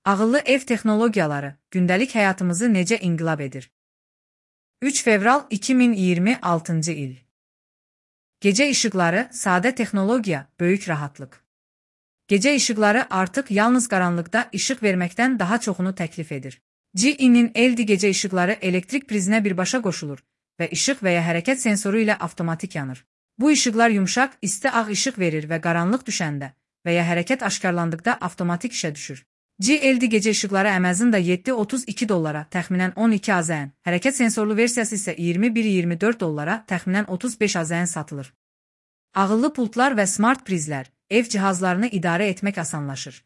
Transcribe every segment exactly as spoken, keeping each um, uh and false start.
Ağıllı ev texnologiyaları gündəlik həyatımızı necə inqilab edir? üç fevral iki min iyirmi altıncı il. Gecə işıqları, sadə texnologiya, böyük rahatlıq. Gecə işıqları artıq yalnız qaranlıqda işıq verməkdən daha çoxunu təklif edir. G E-nin L E D gecə işıqları elektrik prizinə birbaşa qoşulur və işıq və ya hərəkət sensoru ilə avtomatik yanır. Bu işıqlar yumşaq, isti ağ işıq verir və qaranlıq düşəndə və ya hərəkət aşkarlandıqda avtomatik işə düşür. G L E D gecə işıqları əvəzində yeddi otuz iki dollara, təxminən on iki AZN, hərəkət sensorlu versiyası isə iyirmi bir iyirmi dörd dollara, təxminən otuz beş AZN satılır. Ağıllı pultlar və smart prizlər, ev cihazlarını idarə etmək asanlaşır.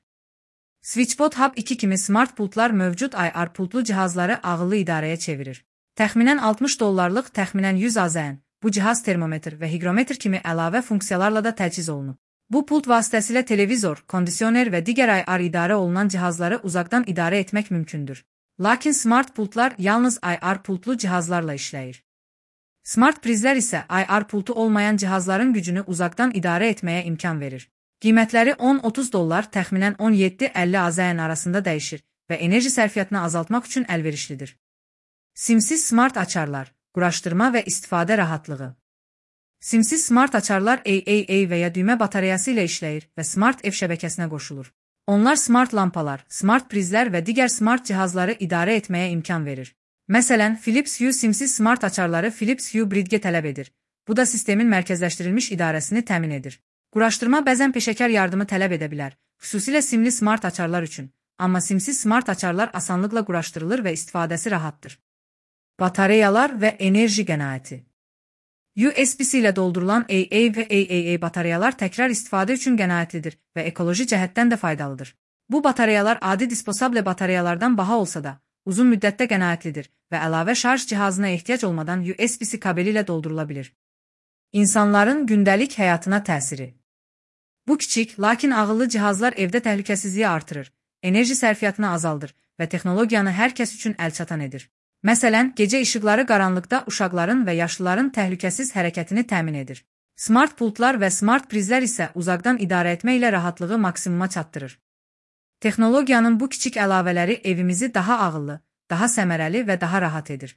SwitchBot Hub iki kimi smart pultlar mövcud I R pultlu cihazları ağıllı idarəyə çevirir. Təxminən altmış dollarlıq, təxminən yüz AZN, bu cihaz termometr və higrometr kimi əlavə funksiyalarla da təchiz olunub. Bu pult vasitəsilə televizor, kondisioner və digər I R idarə olunan cihazları uzaqdan idarə etmək mümkündür. Lakin smart pultlar yalnız I R pultlu cihazlarla işləyir. Smart prizlər isə I R pultu olmayan cihazların gücünü uzaqdan idarə etməyə imkan verir. Qiymətləri on otuz dollar, təxminən on yeddi əlli AZN arasında dəyişir və enerji sərfiyyatını azaltmaq üçün əlverişlidir. Simsiz smart açarlar, quraşdırma və istifadə rahatlığı. Simsiz smart açarlar A A A və ya düymə batareyası ilə işləyir və smart ev şəbəkəsinə qoşulur. Onlar smart lampalar, smart prizlər və digər smart cihazları idarə etməyə imkan verir. Məsələn, Philips Hue simsiz smart açarları Philips Hue Bridge tələb edir. Bu da sistemin mərkəzləşdirilmiş idarəsini təmin edir. Quraşdırma bəzən peşəkar yardımı tələb edə bilər, xüsusilə simli smart açarlar üçün. Amma simsiz smart açarlar asanlıqla quraşdırılır və istifadəsi rahatdır. Batareyalar və enerji qənaəti. U S B-C ilə doldurulan A A və A A A batareyalar təkrar istifadə üçün qənaətlidir və ekoloji cəhətdən də faydalıdır. Bu batareyalar adi disposable batareyalardan baha olsa da, uzun müddətdə qənaətlidir və əlavə şarj cihazına ehtiyac olmadan U S B-C kabeli ilə doldurula bilir. İnsanların gündəlik həyatına təsiri. Bu kiçik, lakin ağıllı cihazlar evdə təhlükəsizliyi artırır, enerji sərfiyyatını azaldır və texnologiyanı hər kəs üçün əlçatan edir. Məsələn, gecə işıqları qaranlıqda uşaqların və yaşlıların təhlükəsiz hərəkətini təmin edir. Smart pultlar və smart prizlər isə uzaqdan idarə etmə ilə rahatlığı maksimuma çatdırır. Texnologiyanın bu kiçik əlavələri evimizi daha ağıllı, daha səmərəli və daha rahat edir.